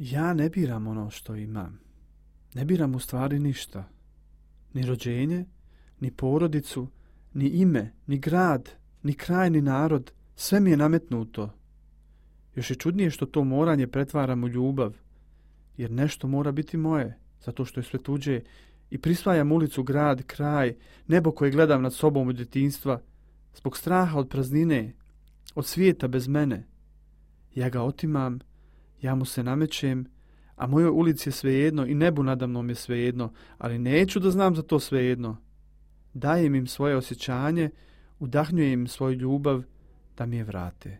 Ja ne biram ono što imam. Ne biram u stvari ništa. Ni rođenje, ni porodicu, ni ime, ni grad, ni kraj, ni narod. Sve mi je nametnuto. Još je čudnije što to moranje pretvaram u ljubav. Jer nešto mora biti moje, zato što je sve tuđe. I prisvajam ulicu, grad, kraj, nebo koje gledam nad sobom od djetinjstva, zbog straha od praznine, od svijeta bez mene. Ja ga otimam, ja mu se namećem, a mojoj ulici je svejedno i nebu nadamnom je svejedno, ali neću da znam za to svejedno. Dajem im svoje osjećanje, udahnjujem im svoju ljubav da mi je vrate.